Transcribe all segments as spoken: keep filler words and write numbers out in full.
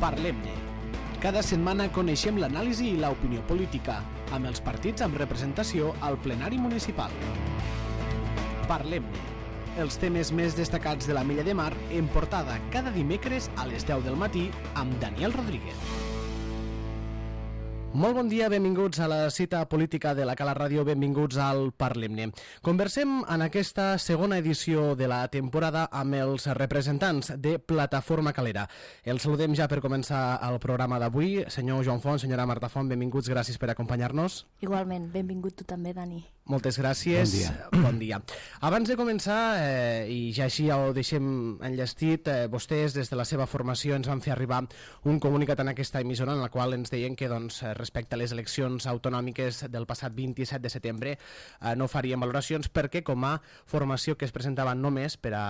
Parlem-ne. Cada setmana coneixem l'anàlisi i l'opinió política, amb els partits amb representació al plenari municipal. Parlem-ne. Els temes més destacats de la Milla de Mar en portada cada dimecres a les deu del matí amb Daniel Rodríguez. Molt bon dia, benvinguts a la cita política de la Cala Ràdio, benvinguts al Parlem-ne. Conversem en aquesta segona edició de la temporada amb els representants de Plataforma Calera. Els saludem ja per començar el programa d'avui. Senyor Joan Font, senyora Marta Font, benvinguts, gràcies per acompanyar-nos. Igualment, benvingut tu també, Dani. Moltes gràcies. Bon dia. Bon dia. Abans de començar, eh, i ja així ja ho deixem enllestit, eh, vostès des de la seva formació ens van fer arribar un comunicat en aquesta emissora en el qual ens deien que doncs, respecte a les eleccions autonòmiques del passat vint-i-set de setembre eh, no farien valoracions perquè com a formació que es presentaven només per a,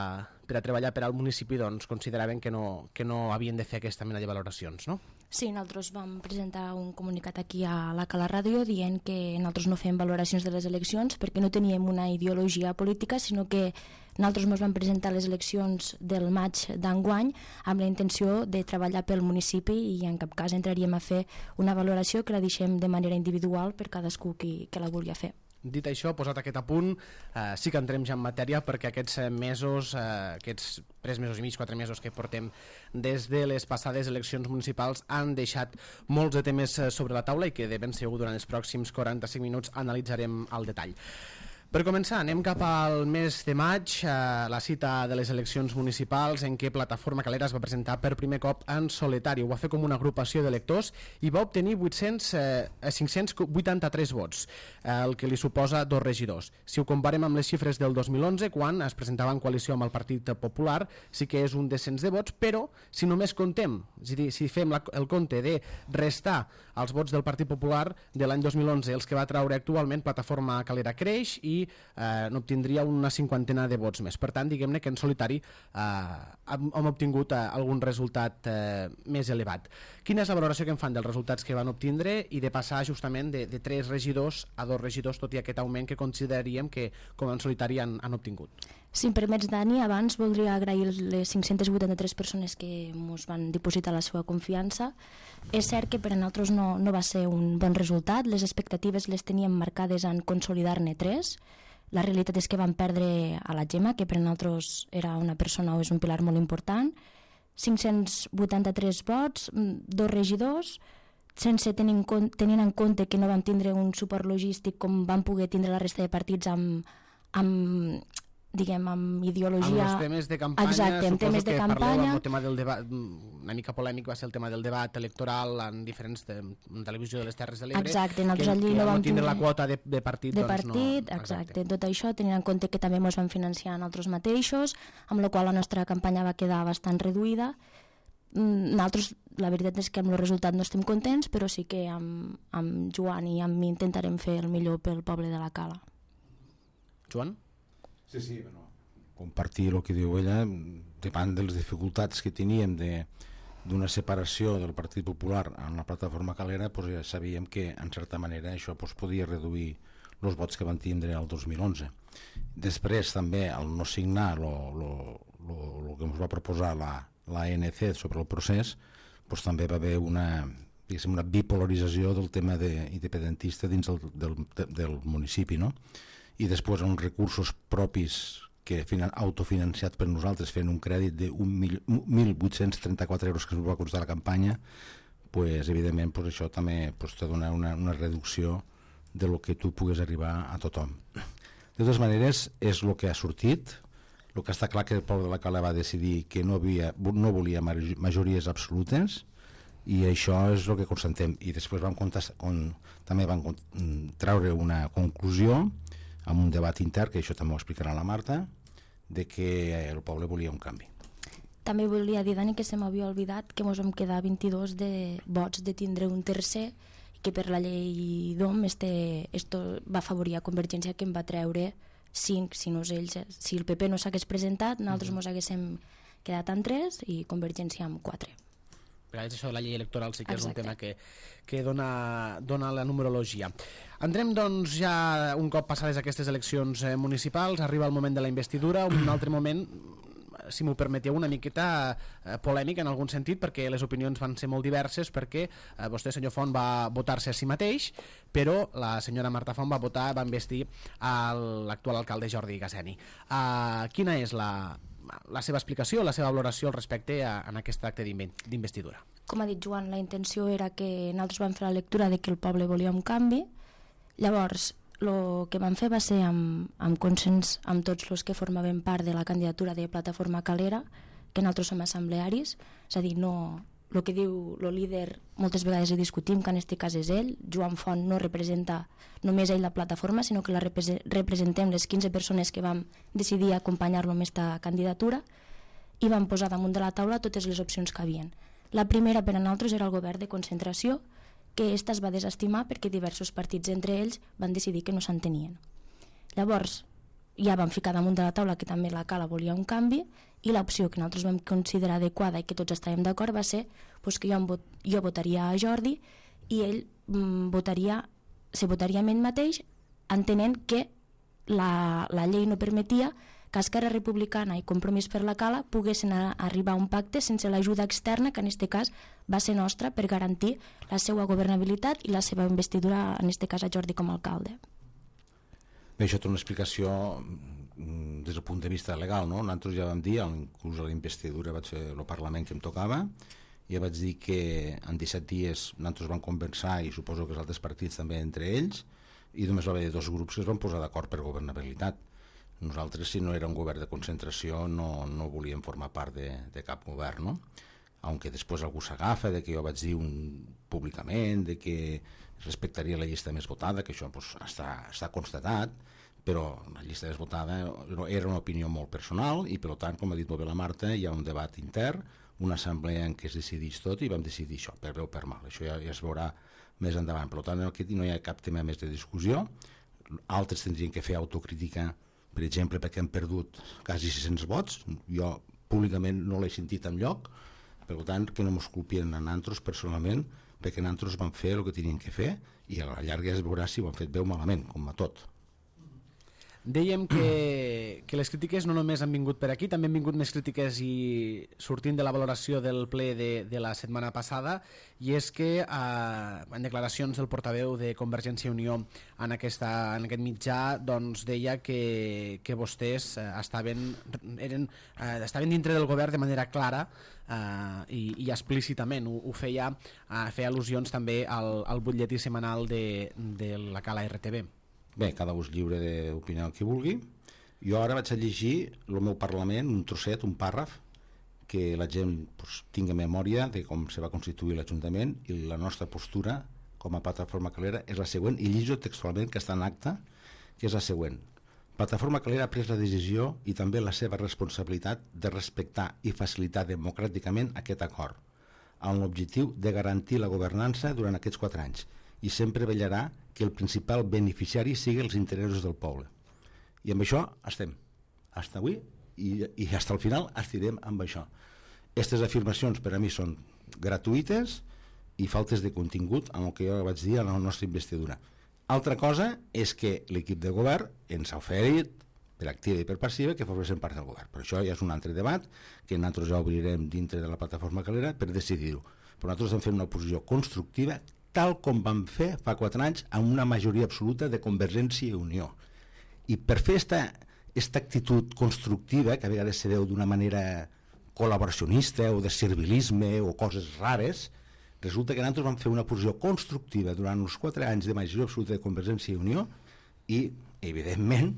per a treballar per al municipi doncs, consideraven que no, que no havien de fer aquesta mena de valoracions, no? Sí, nosaltres vam presentar un comunicat aquí a la Cala Ràdio dient que nosaltres no fem valoracions de les eleccions perquè no teníem una ideologia política, sinó que nosaltres ens vam presentar les eleccions del maig d'enguany amb la intenció de treballar pel municipi i en cap cas entraríem a fer una valoració que la deixem de manera individual per cadascú qui, que la vulgui fer. Dit això, posat aquest apunt, eh, sí que entrem ja en matèria perquè aquests mesos, eh, aquests tres mesos i mig, quatre mesos que portem des de les passades eleccions municipals han deixat molts de temes sobre la taula i que de ben segur durant els pròxims quaranta-cinc minuts analitzarem al detall. Per començar, anem cap al mes de maig, eh, la cita de les eleccions municipals en què Plataforma Calera es va presentar per primer cop en solitari. Ho va fer com una agrupació d'electors i va obtenir vuit-cents, eh, cinc-cents vuitanta-tres vots, eh, el que li suposa dos regidors. Si ho comparem amb les xifres del dos mil onze, quan es presentava en coalició amb el Partit Popular, sí que és un descens de vots, però si només contem, és a dir, si fem la, el compte de restar els vots del Partit Popular de l'any dos mil onze, els que va traure actualment, Plataforma Calera creix i Eh, n'obtindria una cinquantena de vots més. Per tant, diguem-ne que en solitari eh, hem, hem obtingut eh, algun resultat eh, més elevat. Quina és la valoració que en fan dels resultats que van obtindre i de passar justament de, de tres regidors a dos regidors, tot i aquest augment que consideraríem que com en solitari han, han obtingut? Si em permets, Dani, abans voldria agrair les cinc-centes vuitanta-tres persones que ens van dipositar la seva confiança. És cert que per a nosaltres no, no va ser un bon resultat, les expectatives les teníem marcades en consolidar-ne tres. La realitat és que vam perdre a la Gemma, que per a nosaltres era una persona o és un pilar molt important. cinc-cents vuitanta-tres vots, dos regidors, sense tenir en compte, tenint en compte que no vam tindre un suport logístic com vam poder tindre la resta de partits amb, amb diguem, amb ideologia... Amb els temes de campanya, exacte, suposo temes que de campanya. parleu amb el tema del debat, una mica polèmic va ser el tema del debat electoral en diferents de, en televisió de les Terres de l'Ebre. Exacte, nosaltres que, allí que no vam tindre tindre la quota de, de partit. De doncs partit, no, exacte. exacte. Tot això tenint en compte que també ens vam financiar nosaltres mateixos, amb la qual la nostra campanya va quedar bastant reduïda. Nosaltres, la veritat és que amb el resultat no estem contents, però sí que amb, amb Joan i amb mi intentarem fer el millor pel poble de la Cala. Joan? Sí, sí, bueno, compartir el que diu ella, davant de les dificultats que teníem de d'una separació del Partit Popular en la Plataforma Calera, pues ja sabíem que en certa manera això pues, podia reduir els vots que van tindre el dos mil onze. Després també al no signar el que ens va proposar la, la A N C sobre el procés, pues, també va haver una, una bipolarització del tema de, independentista dins del, del, del municipi, no? I després uns recursos propis que autofinanciat per nosaltres fent un crèdit de mil vuit-cents trenta-quatre euros que ens va costar la campanya, pues, evidentment pues, això també pues, te dona una, una reducció de lo que tu pugues arribar a tothom. De totes maneres, és el que ha sortit. El que està clar que el poble de la Cala va decidir que no, havia, no volia majories absolutes i això és el que constatem. I després vam contestar, on, també vam treure una conclusió amb un debat intern, que això també ho explicarà la Marta, de que el poble volia un canvi. També volia dir, Dani, que se m'havia oblidat que ens vam quedar vint-i-dos de vots de tindre un tercer i que per la llei d'O M este, esto va afavorir a Convergència, que em va treure cinc, si, no ells, si el P P no s'hagués presentat, nosaltres ens uh-huh. haguéssim quedat en tres i Convergència amb quatre. Això de la llei electoral sí que Exacte. És un tema que, que dona, dona la numerologia. Entrem doncs ja un cop passades aquestes eleccions eh, municipals, arriba el moment de la investidura, un altre moment si m'ho permeteu, una miqueta eh, polèmic en algun sentit, perquè les opinions van ser molt diverses, perquè eh, vostè, senyor Font, va votar-se a si mateix, però la senyora Marta Font va votar, va investir l'actual alcalde Jordi Gasseni. Uh, quina és la, la seva explicació, la seva valoració al respecte a, en aquest acte d'investidura? Com ha dit Joan, la intenció era que nosaltres vam fer la lectura de que el poble volia un canvi. Llavors, el que vam fer va ser amb, amb consens amb tots els que formaven part de la candidatura de Plataforma Calera, que nosaltres som assemblearis, és a dir, no, el que diu el líder moltes vegades ho discutim, que en aquest cas és ell. Joan Font no representa només ell la plataforma, sinó que la representem les quinze persones que vam decidir acompanyar-lo en aquesta candidatura, i vam posar damunt de la taula totes les opcions que havien. La primera per a nosaltres era el govern de concentració, que esta es va desestimar perquè diversos partits entre ells van decidir que no s'entenien. Llavors ja vam ficar damunt de la taula que també la Cala volia un canvi, i l'opció que nosaltres vam considerar adequada i que tots estàvem d'acord va ser pues, que jo, vot, jo votaria a Jordi i ell mm, votaria, se votaria amb ell mateix, entenent que la, la llei no permetia que Esquerra Republicana i Compromís per la Cala poguessin a, a arribar a un pacte sense l'ajuda externa, que en aquest cas va ser nostra, per garantir la seva governabilitat i la seva investidura, en aquest cas a Jordi com a alcalde. Bé, això té una explicació des del punt de vista legal, no? Nosaltres ja vam dir, inclús a la investidura vaig fer el Parlament que em tocava, ja vaig dir que en disset dies nosaltres vam conversar, i suposo que els altres partits també entre ells, i només va haver dos grups que es van posar d'acord per governabilitat. Nosaltres, si no era un govern de concentració, no, no volíem formar part de, de cap govern, no? Aunque després algú s'agafa de que jo vaig dir un, públicament de que respectaria la llista més votada, que això pues, està, està constatat, però la llista més votada era una opinió molt personal i, per tant, com ha dit molt bé la Marta, hi ha un debat intern, una assemblea en què es decideix tot i vam decidir això, per bé o per mal. Això ja, ja es veurà més endavant. Per tant, aquí no hi ha cap tema més de discussió. Altres tindrien que fer autocrítica, per exemple, perquè han perdut quasi sis-cents vots. Jo públicament no l'he sentit enlloc, per tant, que no mos culpien a nosaltres personalment, perquè nosaltres vam fer el que tenien que fer i a la llarga es veurà si ho han fet bé o malament, com a tot. Dèiem que, que les crítiques no només han vingut per aquí, també han vingut més crítiques i sortint de la valoració del ple de, de la setmana passada, i és que eh, en declaracions del portaveu de Convergència i Unió en, aquesta, en aquest mitjà doncs deia que, que vostès eh, estaven, eren, eh, estaven dintre del govern de manera clara eh, i, i explícitament. Ho, ho feia, eh, feia al·lusions també al, al butlletí setmanal de, de la Cala R T V. Bé, cada un és lliure d'opinar el que vulgui. Jo ara vaig a llegir el meu Parlament, un trosset, un pàrraf, que la gent pues, tingui memòria de com se va constituir l'Ajuntament, i la nostra postura com a Plataforma Calera és la següent, i llegeixo textualment, que està en acte, que és la següent. Plataforma Calera ha pres la decisió i també la seva responsabilitat de respectar i facilitar democràticament aquest acord, amb l'objectiu de garantir la governança durant aquests quatre anys, i sempre vetllarà que el principal beneficiari sigui els interessos del poble. I amb això estem, fins avui, i, i fins al final estirem amb això. Aquestes afirmacions per a mi són gratuïtes i faltes de contingut amb el que jo vaig dir a la nostra investidura. Altra cosa és que l'equip de govern ens ha oferit, per activa i per passiva, que formessin part del govern. Però això ja és un altre debat que nosaltres ja obrirem dintre de la Plataforma Calera per decidir-ho. Però nosaltres hem fet una posició constructiva, tal com vam fer fa quatre anys amb una majoria absoluta de Convergència i Unió. I per fer aquesta actitud constructiva, que a vegades se veu d'una manera col·laboracionista o de servilisme o coses rares, resulta que nosaltres vam fer una posició constructiva durant els quatre anys de majoria absoluta de Convergència i Unió i, evidentment,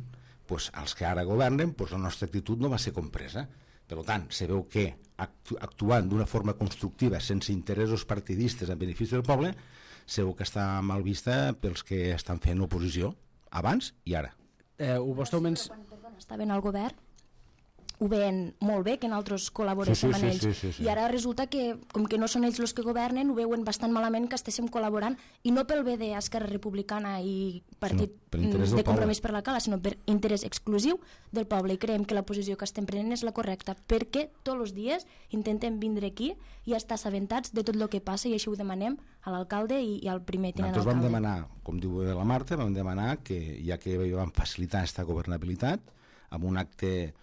doncs, els que ara governen, doncs, la nostra actitud no va ser compresa. Per tant, se veu que actuant d'una forma constructiva, sense interessos partidistes en benefici del poble, segur que està mal vista pels que estan fent oposició abans i ara. Eh, ho vostè men... Quan, perdona, estaven al govern, ho veien molt bé que nosaltres col·laboréssim sí, sí, amb ells, sí, sí, sí, sí. i ara resulta que, com que no són ells els que governen, ho veuen bastant malament que estéssim col·laborant, i no pel bé d'Esquerra Republicana i Partit de Compromís per la Cala, sinó per interès exclusiu del poble, i creiem que la posició que estem prenent és la correcta, perquè tots els dies intentem vindre aquí i estar assabentats de tot el que passa, i així ho demanem a l'alcalde i, i al primer tinent alcalde. Nosaltres vam demanar, com diu la Marta, vam demanar que, ja que vam facilitar aquesta governabilitat, amb un acte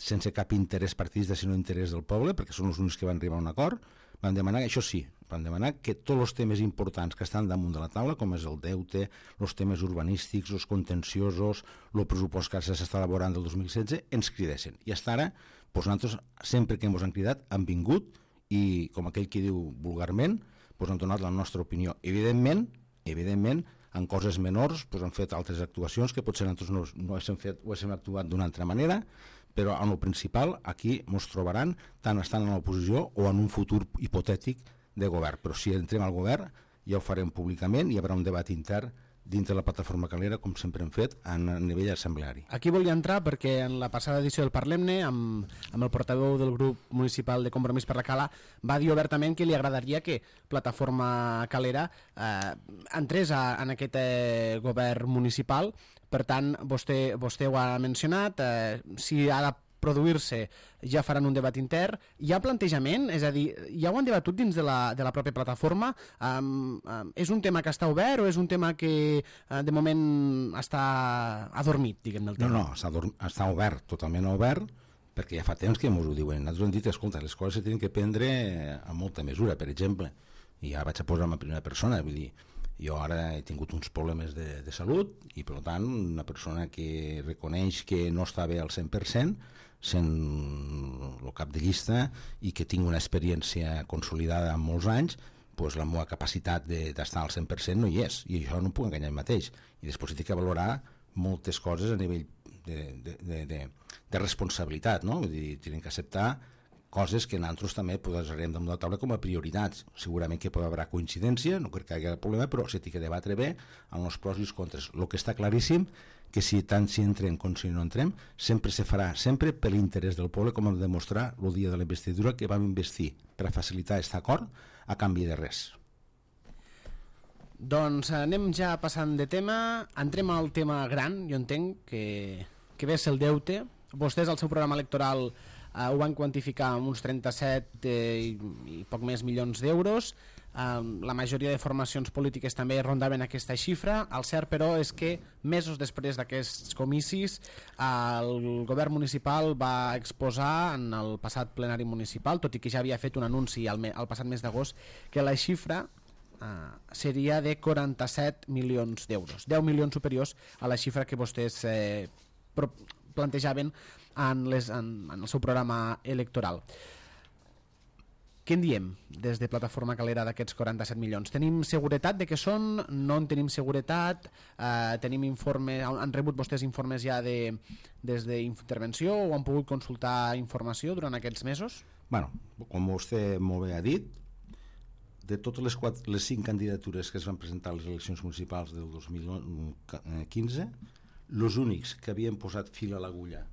sense cap interès partidista sinó interès del poble, perquè són els únics que van arribar a un acord. Van demanar, això sí, van demanar que tots els temes importants que estan damunt de la taula, com és el deute, els temes urbanístics, els contenciosos, el pressupost que s'està elaborant del dos mil setze, ens cridessin. I fins ara, doncs nosaltres, sempre que ens han cridat, han vingut i, com aquell que diu vulgarment, doncs han donat la nostra opinió. Evidentment, evidentment, en coses menors doncs han fet altres actuacions que potser nosaltres no, no hem fet o hem actuat d'una altra manera, però en el principal aquí ens trobaran tant estant en l'oposició o en un futur hipotètic de govern. Però si entrem al govern ja ho farem públicament, hi haurà un debat intern dintre la plataforma Calera, com sempre hem fet a nivell assembleari. Aquí volia entrar perquè en la passada edició del Parlem-ne, amb, amb el portaveu del grup municipal de Compromís per la Cala, va dir obertament que li agradaria que Plataforma Calera eh, entrés a, en aquest eh, govern municipal. Per tant, vostè, vostè ho ha mencionat, eh, si ha de produir-se ja faran un debat intern. Hi ha plantejament? És a dir, ja ho han debatut dins de la, de la pròpia plataforma? Um, um, és un tema que està obert o és un tema que uh, de moment està adormit, diguem-ne el tema? No, no, està, està obert, totalment obert, perquè ja fa temps que ens ho diuen. Nosaltres hem dit, escolta, les coses se tenen que prendre amb molta mesura, per exemple. I ja vaig a posar en primera persona, vull dir, jo ara he tingut uns problemes de, de salut i, per tant, una persona que reconeix que no està bé al cent per cent, sent el cap de llista i que tinc una experiència consolidada en molts anys, doncs la meva capacitat d'estar al cent per cent no hi és, i això no em puc enganyar el mateix. I després he de valorar moltes coses a nivell de, de, de, de, de responsabilitat, no? Vull dir, tenen que acceptar coses que nosaltres també posarem damunt de la taula com a prioritats. Segurament que pot haver coincidència, no crec que hi hagi problema, però s'ha de debatre bé amb els pros i els contres. El que està claríssim que si tant si entrem com si no entrem, sempre se farà, sempre per l'interès del poble, com hem de demostrar el dia de la investidura, que vam investir per a facilitar aquest acord a canvi de res. Doncs anem ja passant de tema, entrem al tema gran, jo entenc que, que ve és el deute. Vostès al seu programa electoral Uh, ho van quantificar amb uns trenta-set eh, i, i poc més milions d'euros. Uh, la majoria de formacions polítiques també rondaven aquesta xifra. El cert, però, és que mesos després d'aquests comicis uh, el govern municipal va exposar en el passat plenari municipal, tot i que ja havia fet un anunci al, me, al passat mes d'agost, que la xifra uh, seria de quaranta-set milions d'euros, deu milions superiors a la xifra que vostès eh, pro plantejaven en, les, en, en el seu programa electoral. Què en diem des de Plataforma Calera d'aquests quaranta-set milions? Tenim seguretat de què són? No en tenim seguretat? Eh, tenim informe, han rebut vostès informes ja de, des d'intervenció o han pogut consultar informació durant aquests mesos? Bueno, com vostè molt bé ha dit, de totes les, quatre, les cinc candidatures que es van presentar a les eleccions municipals del dos mil quinze, els únics que havien posat fil a l'agulla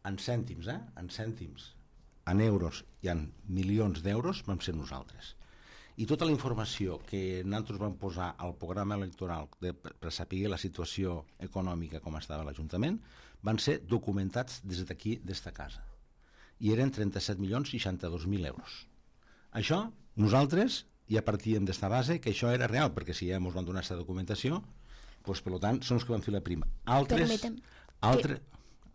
en cèntims, eh? en cèntims, en euros i en milions d'euros vam ser nosaltres. I tota la informació que nosaltres vam posar al programa electoral de, per saber la situació econòmica com estava l'Ajuntament van ser documentats des d'aquí, d'esta casa. I eren trenta-set milions seixanta-dos mil euros. Això, nosaltres ja partíem d'esta base que això era real, perquè si ja ens van donar aquesta documentació, doncs, per tant, són els que van fer la prima. Altres... Permetem, altres...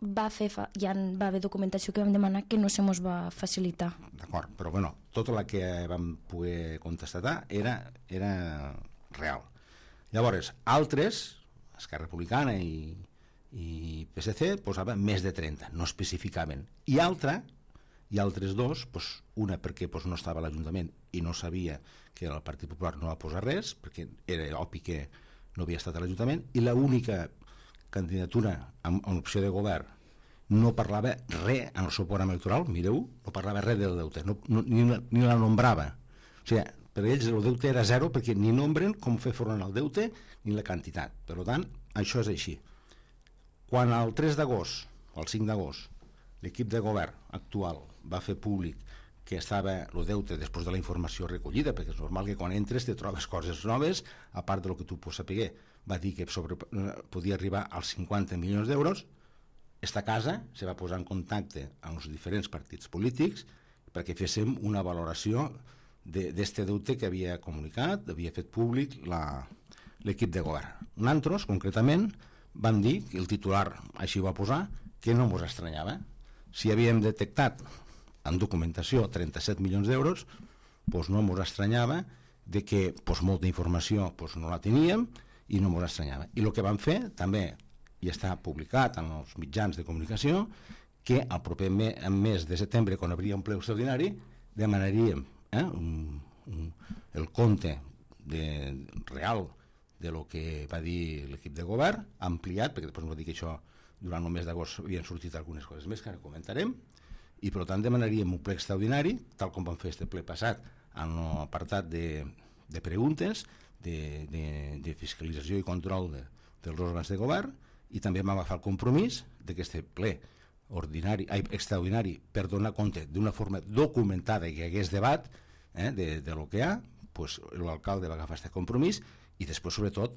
va fer fa, ja va haver documentació que vam demanar que no se mos va facilitar. D'acord, però bueno, tota la que vam poder contestar era, era real. Llavors, altres, Esquerra Republicana i, i P S C, posaven més de trenta, no especificaven. I altra, i altres dos, doncs, una perquè doncs, no estava a l'Ajuntament i no sabia que el Partit Popular no va posar res, perquè era obvi que no havia estat a l'Ajuntament, i l'única candidatura amb, amb opció de govern no parlava res en el seu programa electoral, mireu, no parlava res del deute, no, no, ni, ni la nombrava. O sigui, per ells el deute era zero perquè ni nombren com fer front al deute ni la quantitat. Per tant, això és així. Quan el tres d'agost, o el cinc d'agost, l'equip de govern actual va fer públic que estava el deute després de la informació recollida, perquè és normal que quan entres te trobes coses noves, a part del que tu pots saber, va dir que sobre, podia arribar als cinquanta milions d'euros. Esta casa se va posar en contacte amb els diferents partits polítics perquè féssim una valoració d'este de, deute que havia comunicat, havia fet públic l'equip de govern. Nosaltres, concretament, van dir, que el titular així va posar, que no ens estranyava. Si havíem detectat en documentació trenta-set milions d'euros, doncs no ens estranyava de que doncs, molta informació doncs, no la teníem i no ens estranyava. I el que vam fer també, i està publicat en els mitjans de comunicació, que al proper mes, mes de setembre, quan hauria un ple extraordinari, demanaríem eh, un, un, el compte de, real de lo que va dir l'equip de govern, ampliat, perquè després ens va dir que això durant el mes d'agost havien sortit algunes coses més que ara comentarem, i per tant demanaríem un ple extraordinari, tal com vam fer este ple passat, en l'apartat de, de preguntes, de, de, de fiscalització i control de, dels òrgans de govern, i també vam agafar el compromís d'aquest ple ordinari, ai, extraordinari per donar compte d'una forma documentada i que hi hagués debat eh, de, de lo que hi ha, pues, l'alcalde va agafar aquest compromís i després, sobretot,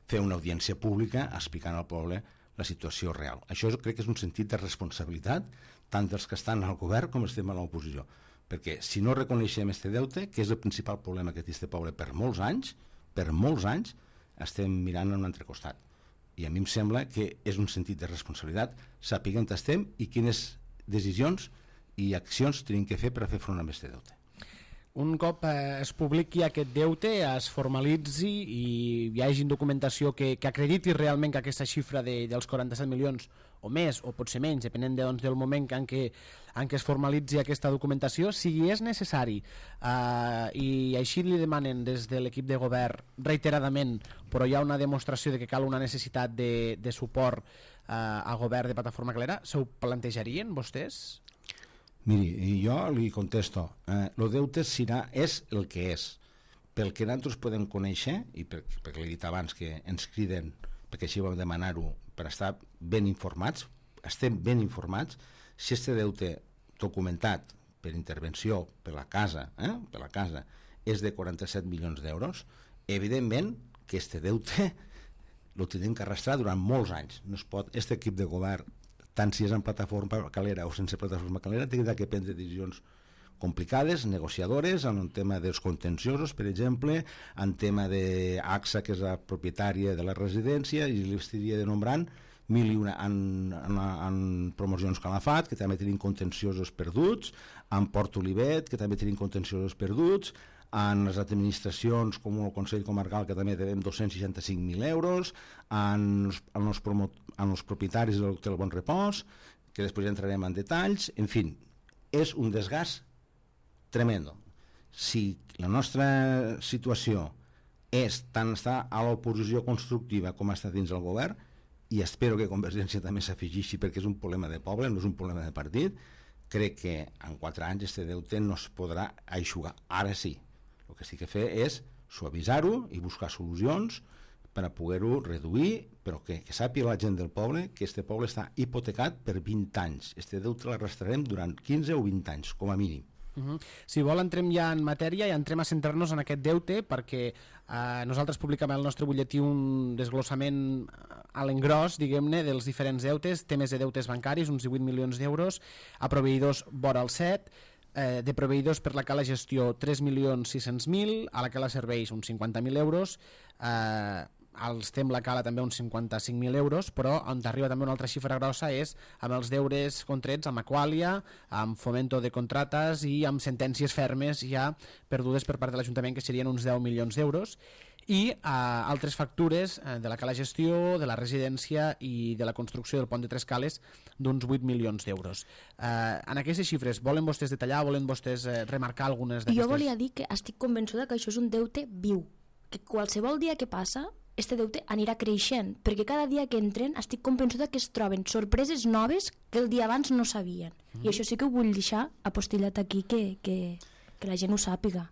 fer una audiència pública explicant al poble la situació real. Això crec que és un sentit de responsabilitat tant dels que estan al govern com estem a l'oposició, perquè si no reconeixem este deute, que és el principal problema que té este poble per molts anys, per molts anys, estem mirant a un altre costat. I a mi em sembla que és un sentit de responsabilitat saber on estem i quines decisions i accions tenim que fer per a fer front a aquest deute. Un cop eh, es publiqui aquest deute, es formalitzi i hi hagi documentació que, que acrediti realment que aquesta xifra de, dels quaranta-set milions o més, o potser menys, depenent de, doncs, del moment en què, en què es formalitzi aquesta documentació, si és necessari eh, i així li demanen des de l'equip de govern reiteradament, però hi ha una demostració de que cal una necessitat de, de suport eh, al govern de Plataforma Calera, se ho plantejarien vostès? Miri, jo li contesto, eh, el deute serà, és el que és. Pel que nosaltres podem conèixer, i per, perquè l'he dit abans que ens criden, perquè així vam demanar-ho, per estar ben informats, estem ben informats, si este deute documentat per intervenció per la casa, eh, per la casa és de quaranta-set milions d'euros, evidentment que este deute el tenim que arrastrar durant molts anys. No es pot, este equip de govern, tant si és en plataforma calera o sense plataforma calera, té que prendre decisions complicades, negociadores, en un tema dels contenciosos, per exemple, en tema de A X A, que és la propietària de la residència, i li estaria denombrant mil i una en, en, en promocions Calafat, que també tenim contenciosos perduts, en Port Olivet, que també tenim contenciosos perduts, en les administracions com el Consell Comarcal, que també devem dos-cents seixanta-cinc mil euros, en, en, els promo, en els propietaris de l'Hotel Bon Repòs, que després ja entrarem en detalls. En fi, és un desgast tremendo. Si la nostra situació és tant estar a l'oposició constructiva com estar dins del govern, i espero que Convergència també s'afegeixi perquè és un problema de poble, no és un problema de partit, crec que en quatre anys este deute no es podrà aixugar. Ara sí, el que sí que fer és suavitzar-ho i buscar solucions per a poder-ho reduir, però que, que sàpiga la gent del poble que este poble està hipotecat per vint anys. Este deute l'arrastrarem durant quinze o vint anys, com a mínim. Uh-huh. Si vol entrem ja en matèria i entrem a centrar-nos en aquest deute, perquè eh, nosaltres publicam al nostre butlletí un desglossament a l'engròs, diguem-ne, dels diferents deutes, temes de deutes bancaris, uns divuit milions d'euros, a proveïdors vora el set, eh, de proveïdors per la cala gestió tres milions sis-cents mil, a la cala serveis uns cinquanta mil euros, eh, als Tem la cala també uns cinquanta-cinc mil euros, però on arriba també una altra xifra grossa és amb els deures contrets amb Aqualia, amb Fomento de Contrates i amb sentències fermes ja perdudes per part de l'Ajuntament, que serien uns deu milions d'euros, i eh, altres factures eh, de la cala gestió, de la residència i de la construcció del pont de Tres Cales d'uns vuit milions d'euros. Eh, en aquestes xifres, volen vostès detallar, volen vostès eh, remarcar algunes d'aquestes? Jo volia dir que estic convençuda que això és un deute viu, que qualsevol dia que passa este deute anirà creixent, perquè cada dia que entren estic convençuda que es troben sorpreses noves que el dia abans no sabien. Mm. I això sí que ho vull deixar apostillat aquí, que, que, que la gent ho sàpiga.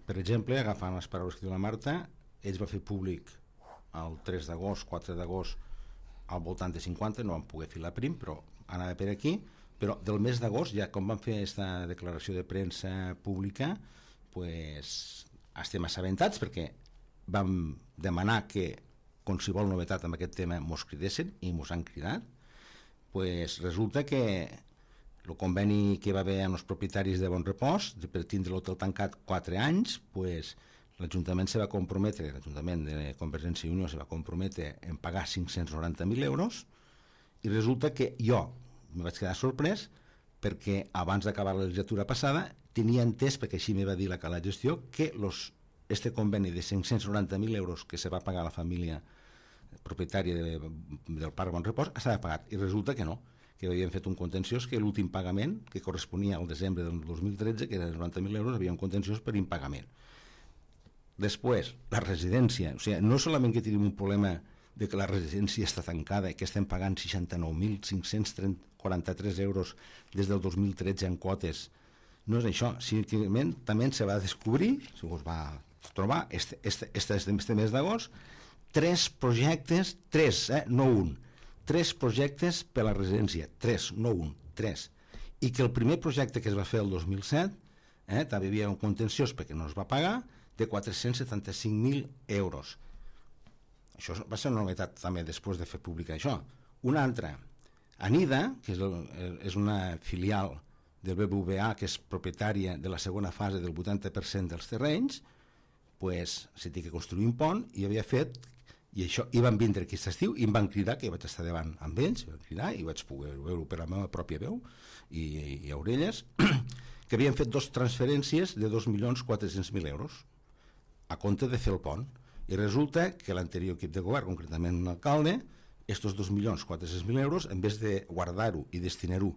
Per exemple, agafant les paraules que diu la Marta, ells va fer públic el tres d'agost, quatre d'agost, al voltant de cinquanta, no van poder fer la prim, però anava per aquí, però del mes d'agost, ja com van fer aquesta declaració de premsa pública, pues, estem assabentats, perquè vam demanar que qualsevol novetat amb aquest tema mos cridessin i mos han cridat. Pues resulta que el conveni que va haver amb els propietaris de Bon Repòs de per tindre l'hotel tancat quatre anys, pues l'Ajuntament se va comprometre, l'Ajuntament de Convergència i Unió se va comprometre en pagar cinc-cents noranta mil euros, i resulta que jo, me vaig quedar sorprès perquè abans d'acabar la legislatura passada tenia entès, perquè així me va dir la Cala Gestió, que los, este conveni de cinc-cents noranta mil euros que se va pagar a la família propietària de, del Parc Bon Repòs estava pagat, i resulta que no, que havien fet un contenciós, que l'últim pagament, que corresponia al desembre del dos mil tretze, que era de noranta mil euros, havia un contenciós per impagament. Després, la residència, o sigui, no solament que tenim un problema de que la residència està tancada i que estem pagant seixanta-nou mil cinc-cents quaranta-tres euros des del dos mil tretze en quotes, no és això, simplement també se va descobrir, si us va trobar, este, este, este, este mes d'agost, tres projectes, tres, eh, no un, tres projectes per a la residència, tres, no un, tres, i que el primer projecte que es va fer el dos mil set, eh, també hi havia un contenciós perquè no es va pagar, de quatre-cents setanta-cinc mil euros. Això va ser una novetat també després de fer pública això. Una altra, Anida, que és, el, és una filial del B B V A, que és propietària de la segona fase del vuitanta per cent dels terrenys, pues, se té que construir un pont, i havia fet, i això, i van vindre aquest estiu, i em van cridar, que vaig estar davant amb ells, i van cridar, i vaig poder veure per la meva pròpia veu i, i, i orelles, que havien fet dos transferències de dos milions quatre-cents mil euros a compte de fer el pont. I resulta que l'anterior equip de govern, concretament l'alcalde, estos dos milions quatre-cents mil euros, en vez de guardar-ho i destinar-ho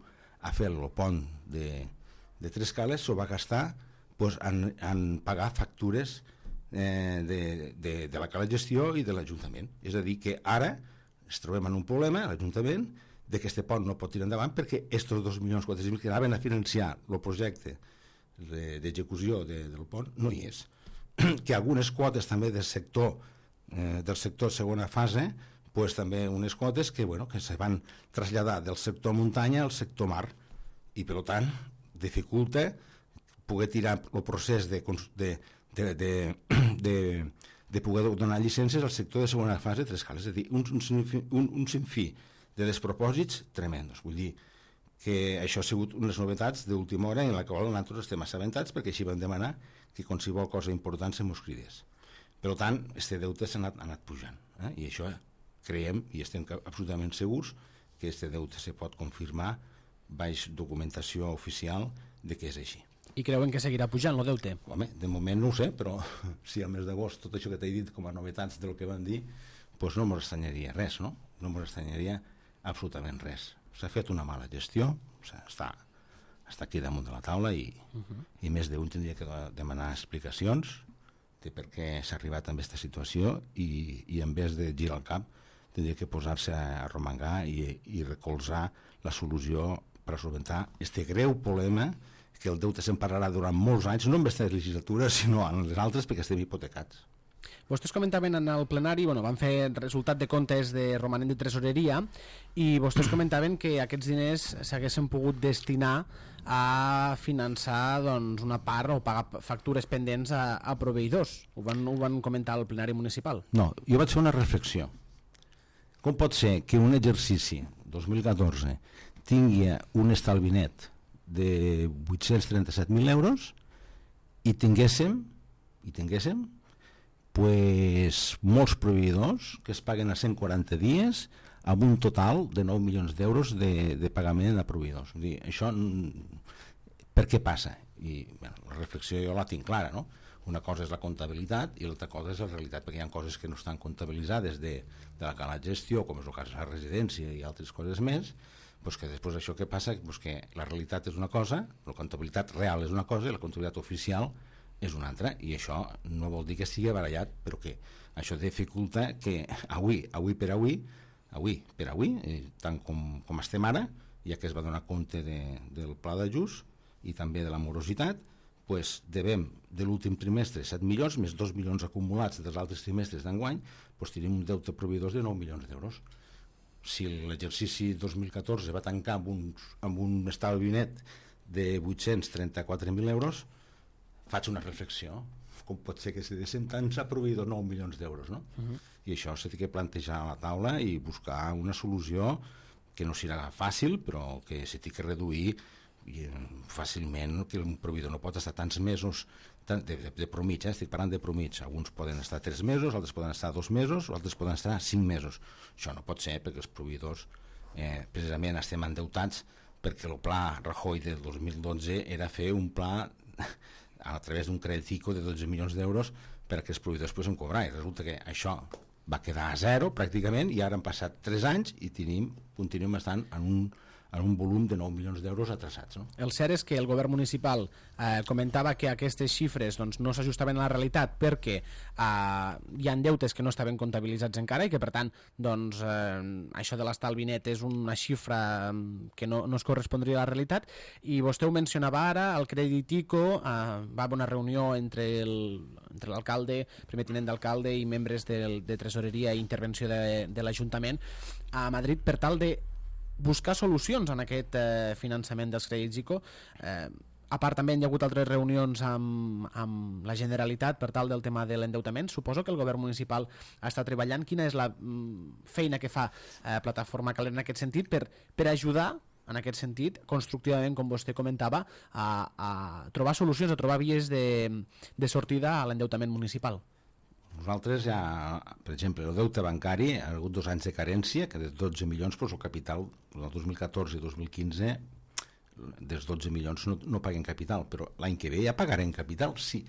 a fer el pont de, de Tres Cales, s'ho va gastar pues, en, en pagar factures eh, de, de, de la Cala Gestió i de l'Ajuntament. És a dir, que ara ens trobem en un problema, l'Ajuntament, de que este pont no pot tirar endavant perquè estos dos milions quatre-cents mil que anaven a financiar el projecte d'execució de, del pont no hi és. Que algunes quotes també del sector eh, del sector segona fase, pues, també unes quotes que, bueno, que se van traslladar del sector muntanya al sector mar, i per tant dificulta poder tirar el procés de, de, de, de, de, de poder donar llicències al sector de segona fase de Tres Cales. És a dir, un, un, un, un sinfí de despropòsits tremendos. Vull dir que això ha sigut unes novetats d'última hora en la qual nosaltres estem assabentats, perquè així vam demanar que qualsevol cosa important se mos cridés. Per tant, este deute s'ha anat, anat pujant, eh? I això creiem i estem absolutament segurs que este deute se pot confirmar baix documentació oficial de que és així. I creuen que seguirà pujant el deute? Home, de moment no ho sé, però si al mes d'agost tot això que t'he dit com a novetats del que van dir, doncs no m'estranyaria res, no? No m'estranyaria absolutament res. S'ha fet una mala gestió, o sigui, està, està aquí damunt de la taula i, uh-huh. i més d'un tindria que demanar explicacions de per què s'ha arribat a aquesta situació i, i en vez de girar el cap tindria que posar-se a romangar i, i recolzar la solució per a solventar este greu problema que el deute se'n parlarà durant molts anys, no en aquesta legislatura sinó en les altres, perquè estem hipotecats. Vostès comentaven en el plenari, bueno, van fer resultat de comptes de romanent de tresoreria i vostès comentaven que aquests diners s'haguessin pogut destinar a finançar doncs, una part o pagar factures pendents a, a proveïdors. Ho van, ho van comentar al plenari municipal? No, jo vaig fer una reflexió. Com pot ser que un exercici dos mil catorze tingui un estalvi net de vuit-cents trenta-set mil euros i tinguéssim i tinguéssim pues, molts proveïdors que es paguen a cent quaranta dies amb un total de nou milions d'euros de, de pagament a proveïdors. Vull dir, això per què passa? I bueno, la reflexió jo la tinc clara, no? Una cosa és la comptabilitat i l'altra cosa és la realitat, perquè hi ha coses que no estan comptabilitzades de, de la cala gestió, com és el cas de la residència i altres coses més, doncs que després això que passa, doncs que la realitat és una cosa, la comptabilitat real és una cosa i la comptabilitat oficial és una altra, i això no vol dir que sigui barallat, però que això dificulta que avui, avui per avui, avui per avui, eh, tant com, com estem ara, ja que es va donar compte de, del pla d'ajust i també de la morositat, pues devem de l'últim trimestre set milions, més dos milions acumulats dels altres trimestres d'enguany, pues tenim un deute proveïdors de nou milions d'euros. Si l'exercici dos mil catorze va tancar amb un, amb un estalvi net de vuit-cents trenta-quatre mil euros, faig una reflexió, com pot ser que se deixen tants a proveïdors nou milions d'euros, no? Uh-huh. I això s'ha de plantejar a la taula i buscar una solució que no serà fàcil, però que s'ha de reduir i fàcilment, que un proveïdor no pot estar tants mesos de, de, de promig, eh? Estic parlant de promig, alguns poden estar tres mesos, altres poden estar dos mesos o altres poden estar cinc mesos. Això no pot ser perquè els proveïdors eh, precisament estem endeutats perquè el pla Rajoy del dos mil dotze era fer un pla a través d'un crèdit ICO de dotze milions d'euros perquè els proveïdors poguessin cobrar, i resulta que això va quedar a zero pràcticament, i ara han passat tres anys i tenim, continuem estant en un, en un volum de nou milions d'euros atrasats. No? El cert és que el govern municipal eh, comentava que aquestes xifres doncs, no s'ajustaven a la realitat perquè eh, hi ha deutes que no estaven comptabilitzats encara i que per tant doncs, eh, això de l'estalvi net és una xifra que no, no es correspondria a la realitat, i vostè ho mencionava ara, el crèdit ICO, eh, va haver una reunió entre el entre l'alcalde, primer tinent d'alcalde i membres del, de tresoreria i intervenció de, de l'Ajuntament a Madrid per tal de buscar solucions en aquest eh, finançament dels crèdits ICO. Eh, a part també hi ha hagut altres reunions amb, amb la Generalitat per tal del tema de l'endeutament. Suposo que el govern municipal està treballant. Quina és la mm, feina que fa eh, Plataforma Calera en aquest sentit per, per ajudar en aquest sentit, constructivament, com vostè comentava, a, a trobar solucions, a trobar vies de, de sortida a l'endeutament municipal? Nosaltres ja, per exemple, el deute bancari ha hagut dos anys de carència, que de dotze milions, doncs el capital, el dos mil catorze i dos mil quinze, dels dotze milions no, no paguen capital, però l'any que ve ja pagarem capital. Sí,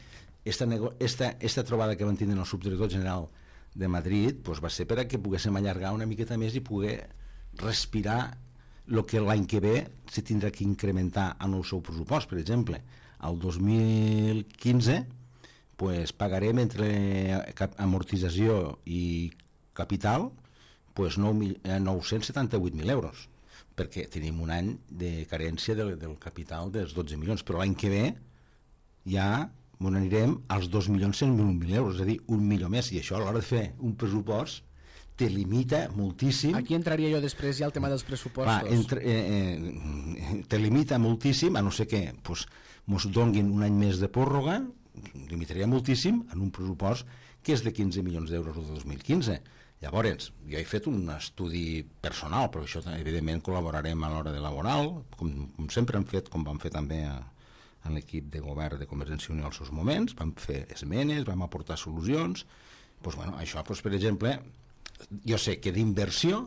esta, nego, esta, esta trobada que van tindre el subdirector general de Madrid doncs va ser per a que poguéssim allargar una miqueta més i poder respirar el que l'any que ve se tindrà que incrementar en el seu pressupost. Per exemple, el dos mil quinze pues, pagarem entre amortització i capital pues, nou-cents setanta-vuit mil euros, perquè tenim un any de carència del, del capital dels dotze milions, però l'any que ve ja on anirem als dos milions cent mil euros, és a dir, un milió més, i això a l'hora de fer un pressupost te limita moltíssim. Aquí entraria jo després ja el tema dels pressupostos. Va, entre, eh, eh, te limita moltíssim, a no ser que pues, mos donguin un any més de pròrroga, limitaria moltíssim en un pressupost que és de quinze milions d'euros el dos mil quinze. Llavors, jo he fet un estudi personal, però això evidentment col·laborarem a l'hora de laboral, com, com sempre hem fet, com vam fer també a, a l'equip de govern de Convergència i Unió als seus moments, vam fer esmenes, vam aportar solucions. Pues, bueno, això, pues, per exemple, jo sé que d'inversió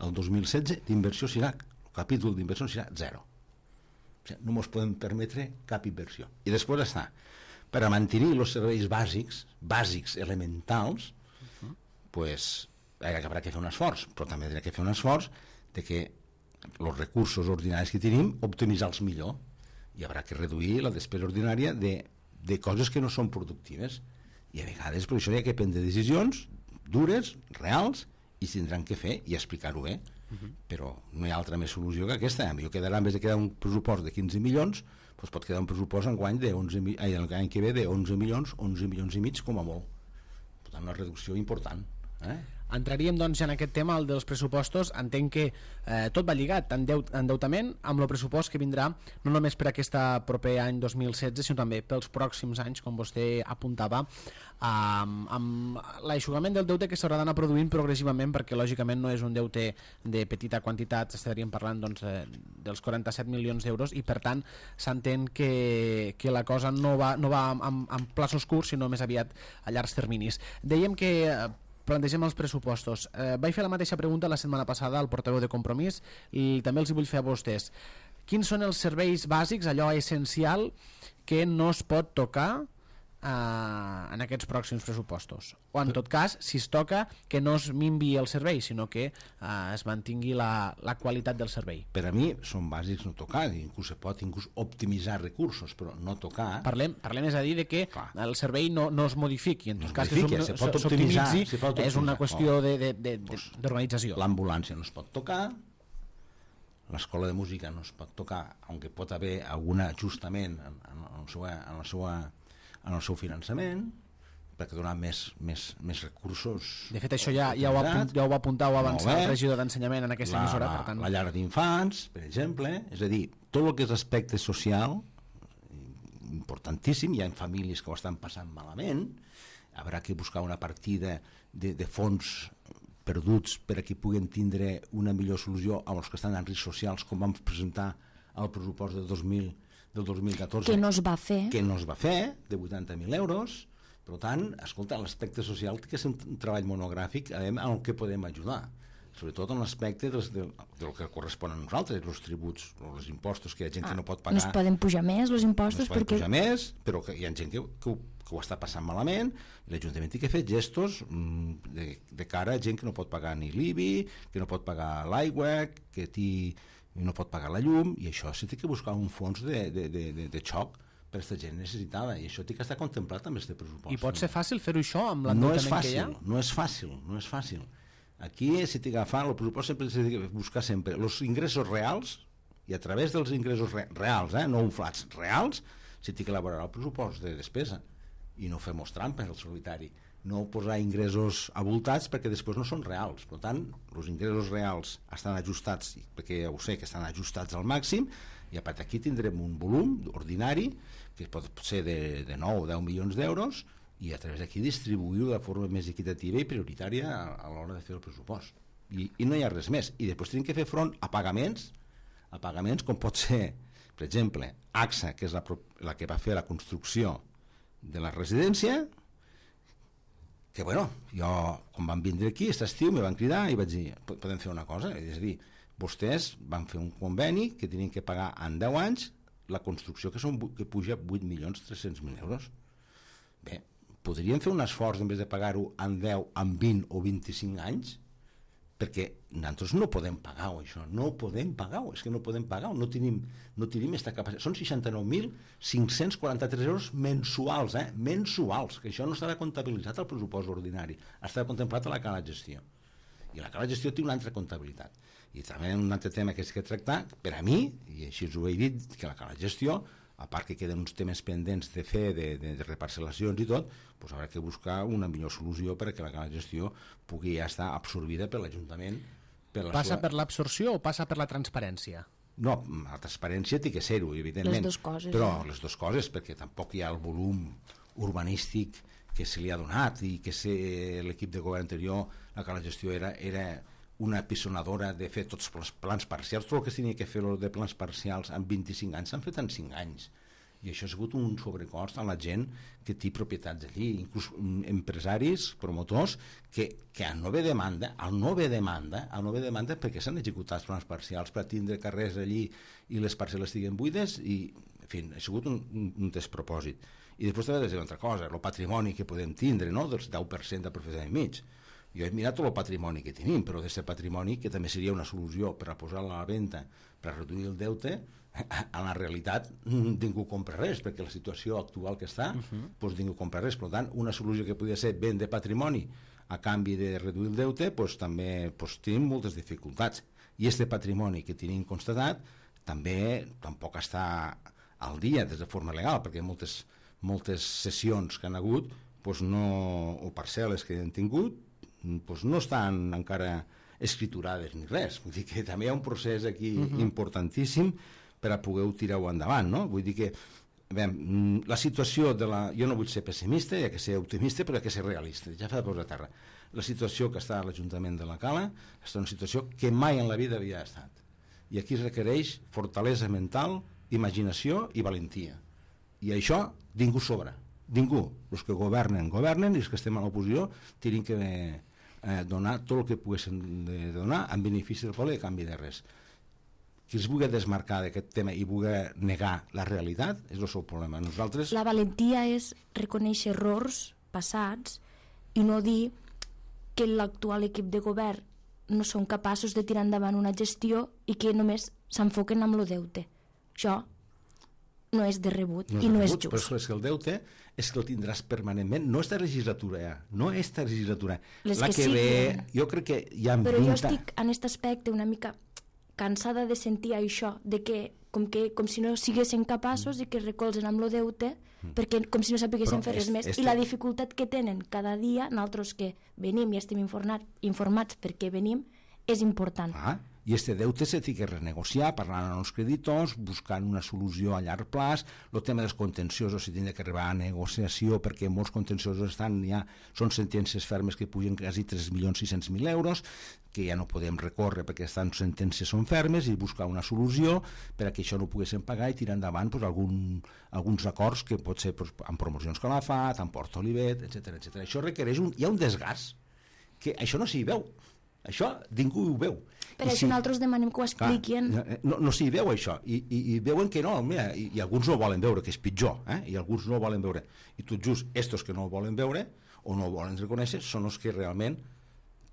el dos mil setze d'inversió serà, el capítol d'inversió serà zero, o sigui, no ens podem permetre cap inversió. I després està, per a mantenir els serveis bàsics bàsics elementals, uh-huh. pues haurà que fer un esforç, però també haurà que fer un esforç de que els recursos ordinaris que tenim optimitzar-los millor, i haurà que reduir la despesa ordinària de, de coses que no són productives, i a vegades per això hi ha que prendre decisions dures, reals, i tindran que fer i explicar-ho bé. Uh-huh. Però no hi ha altra més solució que aquesta. A mi quedarà, en vez de quedar un pressupost de quinze milions, doncs pot quedar un pressupost en guany de onze, ai, l'any que ve de onze milions, onze milions i mig com a molt. Per tant, una reducció important. Eh? Entraríem doncs ja en aquest tema, el dels pressupostos. Entenc que eh, tot va lligat, endeut, endeutament amb el pressupost que vindrà no només per aquest proper any dos mil setze, sinó també pels pròxims anys, com vostè apuntava, amb, amb l'aixugament del deute que s'haurà d'anar produint progressivament, perquè lògicament no és un deute de petita quantitat, estaríem parlant doncs, de, dels quaranta-set milions d'euros, i per tant s'entén que, que la cosa no va, no va amb, amb plaços curts, sinó més aviat a llargs terminis. Dèiem que plantegem els pressupostos. Eh, vaig fer la mateixa pregunta la setmana passada al portaveu de Compromís i també els hi vull fer a vostès. Quins són els serveis bàsics, allò essencial, que no es pot tocar eh, en aquests pròxims pressupostos? O en tot cas, si es toca, que no es minvi el servei, sinó que eh, es mantingui la, la qualitat del servei. Per a mi són bàsics no tocar, inclús se pot inclús optimitzar recursos, però no tocar. Parlem, parlem és a dir de que Clar. el servei no, no es modifiqui, en tot no cas que s'optimitzi, és una qüestió oh, d'organització. Pues, l'ambulància no es pot tocar, l'escola de música no es pot tocar, aunque pot haver algun ajustament en, en, el seu, en, el seu, en el seu finançament, perquè donar més, més, més recursos. De fet, això ja, ja, ho, apunt, ja ho va apuntar o avançar el regidor d'ensenyament en aquesta la, emissora. Per tant. La llar d'infants, per exemple, és a dir, tot el que és aspecte social, importantíssim, hi ha famílies que ho estan passant malament, haurà que buscar una partida de, de fons perduts per a que puguen tindre una millor solució als que estan en riscs socials, com vam presentar al pressupost del dos mil, del dos mil catorze, que no es va fer, que no es va fer, de vuitanta mil euros. Per tant, escolta, l'aspecte social que és un treball monogràfic en el que podem ajudar. sobretot en l'aspecte del, del, del que correspon a nosaltres, els tributs o els impostos, que hi ha gent ah, que no pot pagar. No es poden pujar més els impostos? No es poden perquè... pujar més, però que hi ha gent que, que, ho, que ho està passant malament, i l'Ajuntament té que fer gestos mm, de, de cara a gent que no pot pagar ni l'I B I, que no pot pagar l'aigua, que tí, no pot pagar la llum, i això s'ha de buscar un fons de, de, de, de, de xoc per aquesta gent necessitada, i això té que estar contemplat amb aquest pressupost. I pot ser fàcil fer-ho això amb no l'endeutament que hi ha? No és fàcil, no és fàcil. Aquí s'ha d'agafar, el pressupost sempre s'ha de buscar sempre els ingressos reals, i a través dels ingressos re reals, eh, no inflats, reals, s'ha d'elaborar el pressupost de despesa, i no fem-nos trampes al solitari, no posar ingressos abultats perquè després no són reals. Per tant, els ingressos reals estan ajustats, perquè ja ho sé que estan ajustats al màxim, i a part d'aquí tindrem un volum ordinari que pot ser de, de nou o deu milions d'euros, i a través d'aquí distribuir-ho de forma més equitativa i prioritària a, a l'hora de fer el pressupost. I, I no hi ha res més. I després tenim que fer front a pagaments, a pagaments com pot ser, per exemple, A X A, que és la, la que va fer la construcció de la residència, que bueno, jo quan van vindre aquí, aquest estiu, me van cridar i vaig dir, podem fer una cosa, és a dir, vostès van fer un conveni que tenien que pagar en deu anys la construcció que, són, que puja vuit milions tres-cents mil euros. Bé, podrien fer un esforç en vez de pagar-ho en deu, en vint o vint-i-cinc anys, perquè nosaltres no podem pagar-ho, això, no podem pagar-ho, és que no podem pagar-ho, no tenim, no tenim aquesta capacitat. Són seixanta-nou mil cinc-cents quaranta-tres euros mensuals, eh? mensuals, que això no estarà comptabilitzat al pressupost ordinari, estarà contemplat a la cala de gestió. I la cala de gestió té una altra comptabilitat. I també un altre tema que és que tractar, per a mi, i així us ho he dit, que la cala de gestió, a part que queden uns temes pendents de fer, de, de, de reparcel·lacions i tot, doncs haurà que buscar una millor solució perquè la gestió pugui ja estar absorbida per l'Ajuntament. Per la passa seva... per l'absorció o passa per la transparència? No, la transparència té que ser-ho, evidentment. Les dues coses. Però eh? les dues coses, perquè tampoc hi ha el volum urbanístic que se li ha donat i que l'equip de govern anterior, la que la gestió era, era una pisonadora de fer tots els plans parcials. Tot el que es tenia que fer de plans parcials en vint-i-cinc anys s'han fet en cinc anys, i això ha sigut un sobrecost a la gent que té propietats allí, inclús empresaris, promotors que, que al no haver demanda al no haver demanda, al no haver demanda perquè s'han executat plans parcials per tindre carrers allí i les parcel·les estiguen buides, i en fi, ha sigut un, un, un despropòsit. I després també és una altra cosa, el patrimoni que podem tindre, no? Dels deu per cent de propietat i mig. Jo he mirat tot el patrimoni que tenim, però d'aquest patrimoni, que també seria una solució per a posar-lo a la venda, per a reduir el deute, en la realitat ningú compra res, perquè la situació actual que està, uh-huh. doncs ningú compra res. Per tant, una solució que podria ser vendre patrimoni a canvi de reduir el deute, doncs també doncs, tenim moltes dificultats. I aquest patrimoni que tenim constatat també tampoc està al dia des de forma legal, perquè moltes, moltes sessions que han hagut doncs no, o parcel·les que han tingut doncs no estan encara escriturades ni res. Vull dir que també hi ha un procés aquí uh-huh. importantíssim per a poder tirar-ho endavant, no? Vull dir que bé, la situació de la... Jo no vull ser pessimista, hi ha que ser optimista, però hi ha que ser realista. Ja fa de posar a terra. La situació que està a l'Ajuntament de la Cala és una situació que mai en la vida havia estat. I aquí es requereix fortalesa mental, imaginació i valentia. I això ningú sobra. Ningú. Els que governen, governen, i els que estem a l'oposició tenim que eh, donar tot el que poguéssim de donar en benefici del poble i a canvi de res. Qui es vulgui desmarcar d'aquest tema i vulgui negar la realitat és el seu problema. Nosaltres... La valentia és reconèixer errors passats i no dir que l'actual equip de govern no són capaços de tirar endavant una gestió i que només s'enfoquen amb el deute. Això no és de rebut no és i no rebut, és just. Però és que el deute és que el tindràs permanentment, no esta legislatura ja, no esta legislatura. Les la que, que ve, sí, jo crec que hi ha... Però jo estic en aquest aspecte una mica cansada de sentir això, de que com, que, com si no siguessin capaços mm. i que recolzen amb el deute, mm. perquè com si no sapiguessin fer res més. Este... I la dificultat que tenen cada dia, nosaltres que venim i estem informat, informats perquè venim, és important. Ah, i este deute s'ha de renegociar, parlant amb els creditors, buscant una solució a llarg plaç. El tema dels contenciosos s'ha de que arribar a negociació, perquè molts contenciosos estan ja, són sentències fermes que pugen quasi tres milions sis-cents mil euros, que ja no podem recórrer perquè estan sentències són fermes, i buscar una solució per a que això no poguéssim pagar i tirar endavant pues, algun, alguns acords que pot ser pues, amb promocions Calafat, amb Port Olivet, etcètera etcètera. Això requereix un, hi ha un desgast que això no s'hi veu. Això ningú ho veu. Per I això si, nosaltres demanem que ho expliquin. Clar, no, no s'hi veu això, I, i, i veuen que no, mira, i, i alguns no ho volen veure, que és pitjor, eh? I alguns no ho volen veure. I tot just, estos que no ho volen veure o no ho volen reconèixer són els que realment,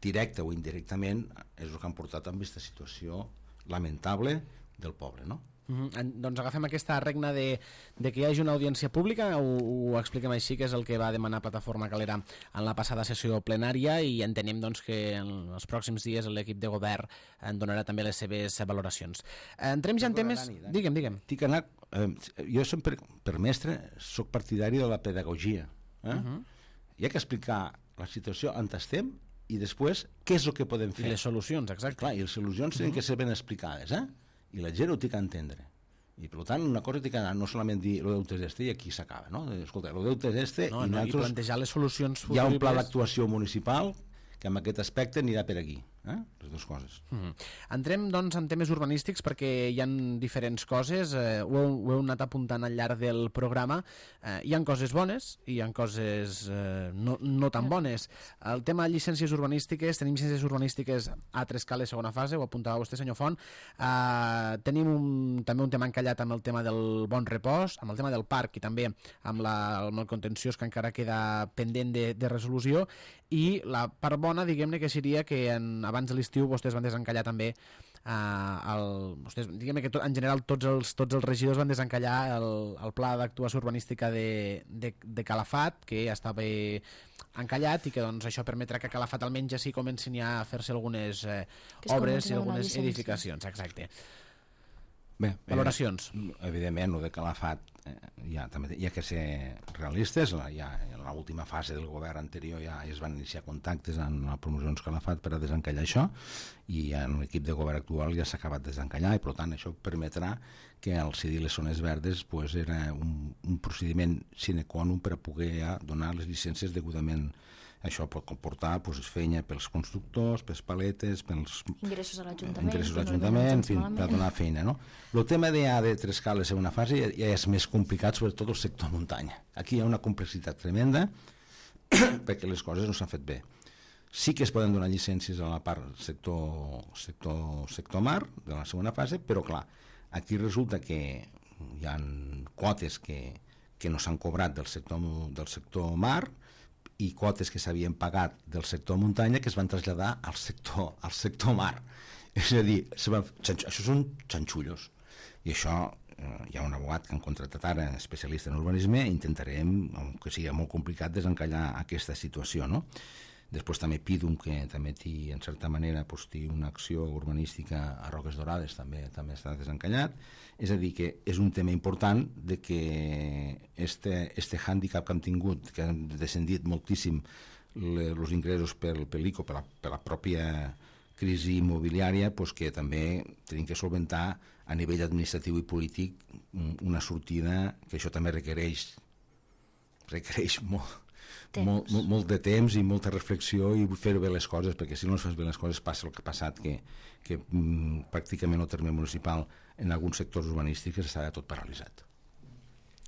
directe o indirectament, és el que han portat a aquesta situació lamentable del poble, no? Mm-hmm. Doncs agafem aquesta regna de, de que hi hagi una audiència pública, ho, ho expliquem així, que és el que va demanar Plataforma Calera en la passada sessió plenària, i entenem doncs, que en els pròxims dies l'equip de govern en donarà també les seves valoracions. Entrem ja en temes... Dani, Dani. Digue'm, digue'm. Dic anar, eh, jo sempre, per mestre, soc partidari de la pedagogia. Eh? Uh-huh. Hi ha que explicar la situació on estem i després què és el que podem fer. I les solucions, exacte. Clar, i les solucions uh-huh. tenen que ser ben explicades, eh? I la gent ho té que entendre. I per tant, una cosa té que anar, no solament dir el deute és este i aquí s'acaba, no? Escolta, el deute és este no, i, no, i plantejar les solucions futuribles. Hi ha un pla d'actuació municipal que en aquest aspecte anirà per aquí, eh? Les dues coses. Mm-hmm. Entrem doncs en temes urbanístics perquè hi ha diferents coses, eh, ho, heu, ho heu anat apuntant al llarg del programa, eh, hi ha coses bones i hi ha coses eh, no, no tan bones. El tema de llicències urbanístiques, tenim llicències urbanístiques a tres cales segona fase, ho apuntava vostè senyor Font, eh, tenim un, també un tema encallat amb el tema del bon repòs, amb el tema del parc i també amb, la, amb el contenciós que encara queda pendent de, de resolució, i la part bona, diguem-ne, que seria que en, abans de l'estiu vostès van desencallar també eh, el, vostès, diguem-ne que tot, en general tots els, tots els regidors van desencallar el, el pla d'actuació urbanística de, de, de Calafat, que ja estava encallat i que doncs, això permetrà que a Calafat almenys ja sí comencin ja a fer-se algunes eh, obres i algunes edificacions. Exacte. Bé, valoracions. Eh, evidentment, el de Calafat eh, ja, també hi ha que ser realistes. Ja, en l'última fase del govern anterior ja es van iniciar contactes amb la Promocions Calafat per a desencallar això, i en l'equip de govern actual ja s'ha acabat de desencallar, i per tant això permetrà que al cedir les zones verdes pues, era un, un procediment sine qua non per a poder ja donar les llicències degudament. Això pot comportar pues, feina pels constructors, pels paletes, pels ingressos a l'Ajuntament, ingressos a l'Ajuntament, en fi, per donar feina. No? El tema de, de tres cales en una fase ja, ja és més complicat, sobretot el sector muntanya. Aquí hi ha una complexitat tremenda perquè les coses no s'han fet bé. Sí que es poden donar llicències a la part sector, sector, sector mar de la segona fase, però clar, aquí resulta que hi ha quotes que, que no s'han cobrat del sector, del sector mar, i quotes que s'havien pagat del sector muntanya que es van traslladar al sector, al sector mar. És a dir, se van, això són xanxullos. I això, eh, hi ha un abogat que han contractat ara, especialista en urbanisme, i intentarem, que sigui molt complicat, desencallar aquesta situació, no? Després també Pidum, que també té, en certa manera, pues, té una acció urbanística a Roques Dorades, també també està desencallat. És a dir, que és un tema important de que este, este hàndicap que hem tingut, que han descendit moltíssim els ingressos pel, pel I C O, per la, per la pròpia crisi immobiliària, pues, que també tenim que solventar a nivell administratiu i polític una sortida que això també requereix requereix molt Molt, molt, molt de temps i molta reflexió i fer bé les coses, perquè si no es fas bé les coses passa el que ha passat, que, que mm, pràcticament el terme municipal en alguns sectors urbanístics està tot paralitzat.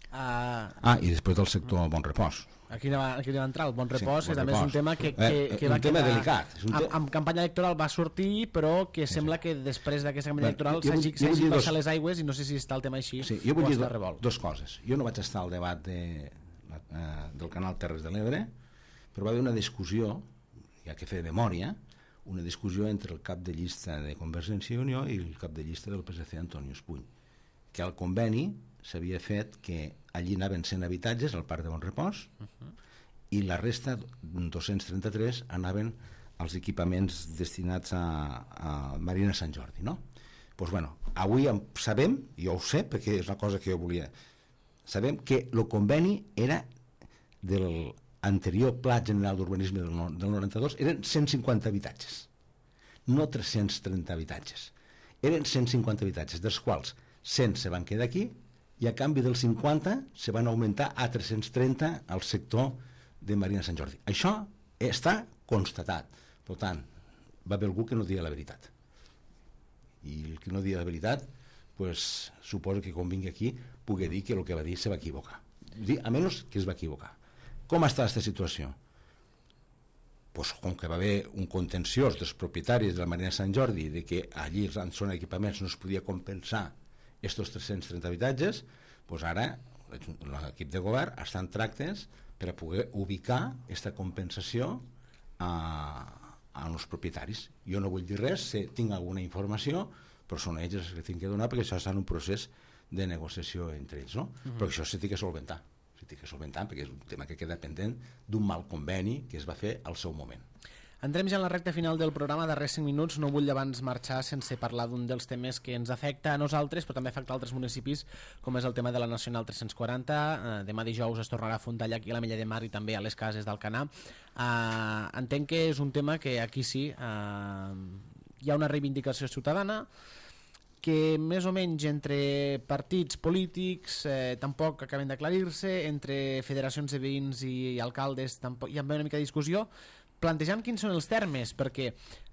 Uh... Ah, i després del sector bon repòs. Aquí va, aquí va entrar el bon repòs, sí, bon que també repòs. És un tema que, que, eh, que un va tema quedar... delicat. És un te... amb, amb campanya electoral va sortir, però que sí, sembla sí. que després d'aquesta campanya electoral s'hagi baixat dos... les aigües i no sé si està el tema així sí, jo vull dir do, dos coses. Jo no vaig estar al debat de... del canal Terres de l'Ebre, però va haver una discussió, ja que fer memòria, una discussió entre el cap de llista de Convergència i Unió i el cap de llista del P S C, Antonio Espuny, que al conveni s'havia fet que allí anaven cent habitatges al Parc de Bon Repòs uh-huh. i la resta, dos-cents trenta-tres, anaven als equipaments destinats a, a Marina Sant Jordi, no? Doncs bueno, avui sabem, jo ho sé perquè és una cosa que jo volia, sabem que el conveni era del anterior Pla General d'Urbanisme del noranta-dos, eren cent cinquanta habitatges, no tres-cents trenta habitatges, eren cent cinquanta habitatges, dels quals cent se van quedar aquí i a canvi dels cinquanta se van augmentar a tres-cents trenta al sector de Marina Sant Jordi. Això està constatat. Per tant, va haver algú que no dia la veritat. I el que no dia la veritat, pues, suposo que quan vingui aquí pugui dir que el que va dir se va equivocar. A menys que es va equivocar. Com està aquesta situació? pues, com que va haver un contenciós dels propietaris de la Marina de Sant Jordi de que allí en zona d'equipaments no es podia compensar aquests tres-cents trenta habitatges, pues ara l'equip de govern està en tractes per a poder ubicar aquesta compensació a, a els propietaris. Jo no vull dir res, si tinc alguna informació, però són ells els que tinc que donar, perquè això està en un procés de negociació entre ells, no? Uh-huh. Però això s'ha de solventar, s'ha de solventar, perquè és un tema que queda pendent d'un mal conveni que es va fer al seu moment. Entrem ja en la recta final del programa, darrers cinc minuts. No vull abans marxar sense parlar d'un dels temes que ens afecta a nosaltres, però també afecta a altres municipis, com és el tema de la Nacional tres-cents quaranta. Eh, demà dijous es tornarà a Fontallà, aquí a la Mella de Mar, i també a les cases d'Alcanar. Eh, entenc que és un tema que aquí sí eh, hi ha una reivindicació ciutadana, que més o menys entre partits polítics eh, tampoc acaben d'aclarir-se, entre federacions de veïns i alcaldes tampoc hi ha una mica de discussió, plantejant quins són els termes, perquè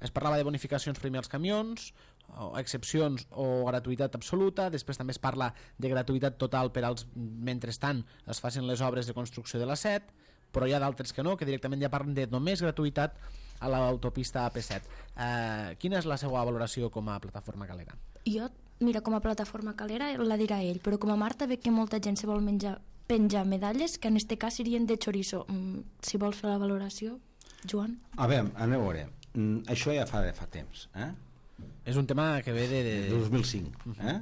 es parlava de bonificacions per als camions, o excepcions o gratuïtat absoluta, després també es parla de gratuïtat total per als, mentrestant es facin les obres de construcció de la set, però hi ha d'altres que no, que directament ja parlen de només gratuïtat a l'autopista A P set. Eh, quina és la seva valoració com a plataforma calera? Jo, mira, com a plataforma calera la dirà ell, però com a Marta veig que molta gent se vol menjar, penjar medalles que en este cas serien de chorizo. Mm, si vols fer la valoració, Joan? A veure, anem a veure. Mm, això ja fa, fa temps. Eh? És un tema que ve de... de... dos mil cinc. Eh?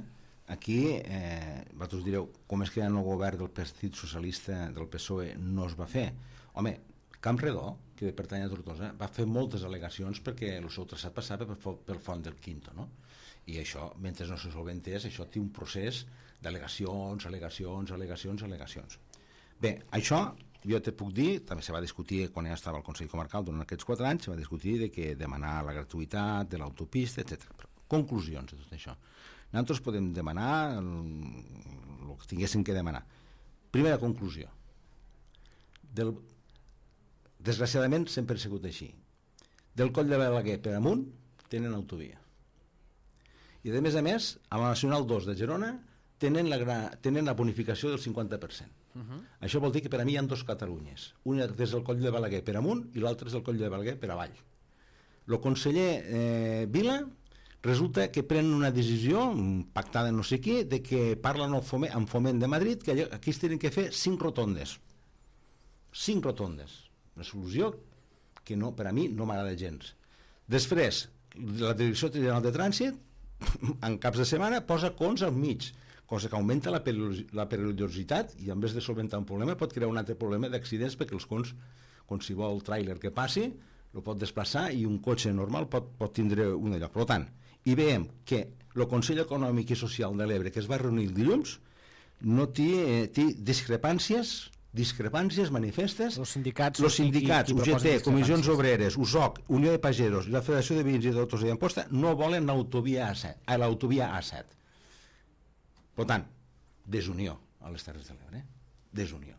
Aquí, eh, vosaltres direu, com és que en el govern del Partit Socialista del P S O E no es va fer? Home, Campredó, que pertany a Tortosa, va fer moltes al·legacions perquè el seu traçat passava pel Font del Quinto, no? I això, mentre no se solventés, això té un procés d'al·legacions, al·legacions, al·legacions, al·legacions. Bé, això jo te puc dir, també se va discutir quan ja estava al Consell Comarcal durant aquests quatre anys, se va discutir de que demanar la gratuïtat de l'autopista, etcètera. Conclusions de tot això. Nosaltres podem demanar el, el que tinguéssim que demanar. Primera conclusió. Del, desgraciadament sempre ha sigut així. Del Coll de Balaguer per amunt tenen autovia. I de més a més, a la Nacional dos de Girona tenen la, tenen la bonificació del cinquanta per cent. Uh-huh. Això vol dir que per a mi hi ha dos Catalunyes, una des del Coll de Balaguer per amunt i l'altra és del Coll de Balaguer per avall. El conseller eh, Vila resulta que pren una decisió pactada no sé qui, de que parlen amb Foment, amb Foment de Madrid, que allò, aquí es tenen que fer cinc rotondes cinc rotondes, una solució que no, per a mi no m'agrada gens. Després la Direcció General de Trànsit en caps de setmana posa cons al mig, cosa que augmenta la, la perillositat i en vez de solventar un problema pot crear un altre problema d'accidents, perquè els cons, qualsevol tràiler que passi el pot desplaçar i un cotxe normal pot, pot tindre un lloc. Per tant, i veiem que el Consell Econòmic i Social de l'Ebre, que es va reunir el dilluns, no té, eh, té discrepàncies discrepàncies manifestes. Els sindicats, los sindicats U G T, Comissions Obreres, U S O C, Unió de Pagesos i la Federació de Veïns i d'Autos i d'Amposta no volen l'autovia A set, a l'autovia A set. Per tant, desunió a les Terres de l'Ebre. Desunió.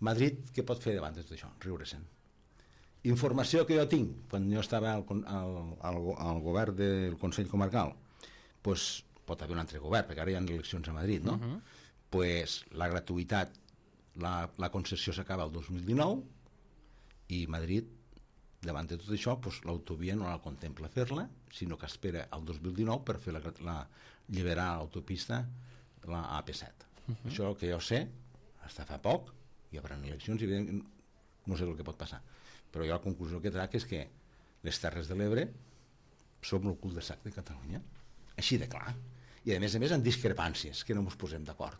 Madrid, què pot fer davant de tot això? Riure-se'n. Informació que jo tinc, quan jo estava al, al, al, al govern del Consell Comarcal, pues, pot haver un altre govern, perquè ara hi ha eleccions a Madrid, no? Uh-huh. Pues, la gratuïtat, la, la concessió s'acaba el dos mil dinou i Madrid, davant de tot això, pues, l'autovia no la contempla fer-la, sinó que espera el dos mil dinou per fer la, la, alliberar l'autopista, la A P set. Uh-huh. Això que jo sé, fins fa poc, hi haurà eleccions i no sé el que pot passar. Però jo la conclusió que trac és que les Terres de l'Ebre som el cul de sac de Catalunya. Així de clar. I a més a més en discrepàncies, que no ens posem d'acord.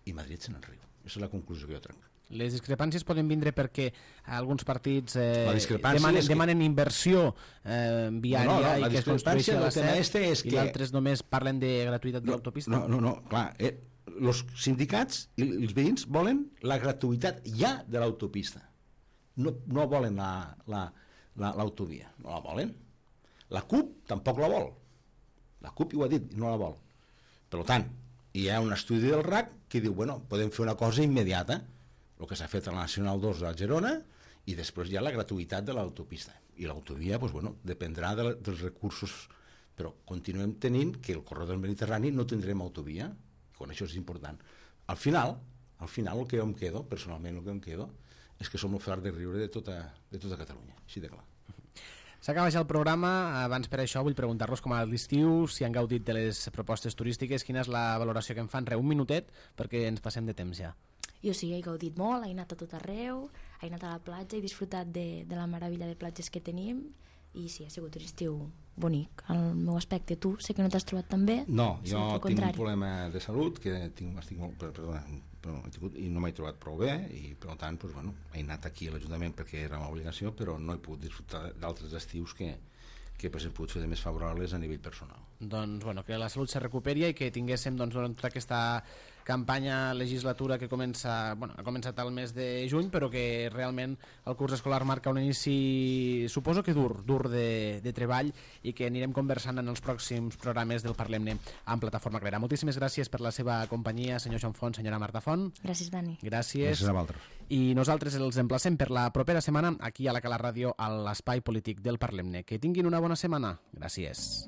I Madrid se n'enriu. Aquesta és la conclusió que jo trac. Les discrepàncies poden vindre perquè alguns partits eh, demanen, que... demanen inversió eh, viària no, no, no, i que es construeixi la set este és i que... altres només parlen de gratuïtat no, de l'autopista. No, no, no, clar. Eh, els sindicats i els veïns volen la gratuïtat ja de l'autopista. No, no volen l'autovia. La, la, no la volen. La CUP tampoc la vol. La CUP ho ha dit, no la vol. Per tant, hi ha un estudi del R A C que diu, bueno, podem fer una cosa immediata, el que s'ha fet a la Nacional dos a Girona, i després hi ha la gratuïtat de l'autopista. I l'autovia, doncs, bueno, dependrà de la, dels recursos, però continuem tenint que el corredor mediterrani no tindrem autovia, i quan això és important. Al final, al final el que jo em quedo, personalment el que em quedo, és que som el far de riure de tota, de tota Catalunya, així de clar. S'acaba ja el programa, abans per això vull preguntar-los com ha anat l'estiu, si han gaudit de les propostes turístiques, quina és la valoració que en fan, re, un minutet, perquè ens passem de temps ja. Jo sí, he gaudit molt, he anat a tot arreu, he anat a la platja, he disfrutat de, de la meravella de platges que tenim, i sí, ha sigut un estiu bonic. Al meu aspecte, tu sé que no t'has trobat tan bé. No, jo tinc un problema de salut que tinc, estic molt, perdona, però, tingut, i no m'he trobat prou bé, i per tant doncs, bueno, he anat aquí a l'Ajuntament perquè era una obligació, però no he pogut disfrutar d'altres estius que, que pues, he pogut fer de més favorables a nivell personal. Doncs bueno, que la salut se recuperi i que tinguéssim doncs, durant tota aquesta campanya legislatura que comença, bueno, ha començat al mes de juny, però que realment el curs escolar marca un inici, suposo que dur, dur de, de treball, i que anirem conversant en els pròxims programes del Parlem-ne amb Plataforma Calera. Moltíssimes gràcies per la seva companyia, senyor Joan Font, senyora Marta Font. Gràcies, Dani. Gràcies. Gràcies a vosaltres. I nosaltres els emplacem per la propera setmana aquí a la Cala Ràdio a l'Espai Polític del Parlem-ne. Que tinguin una bona setmana. Gràcies.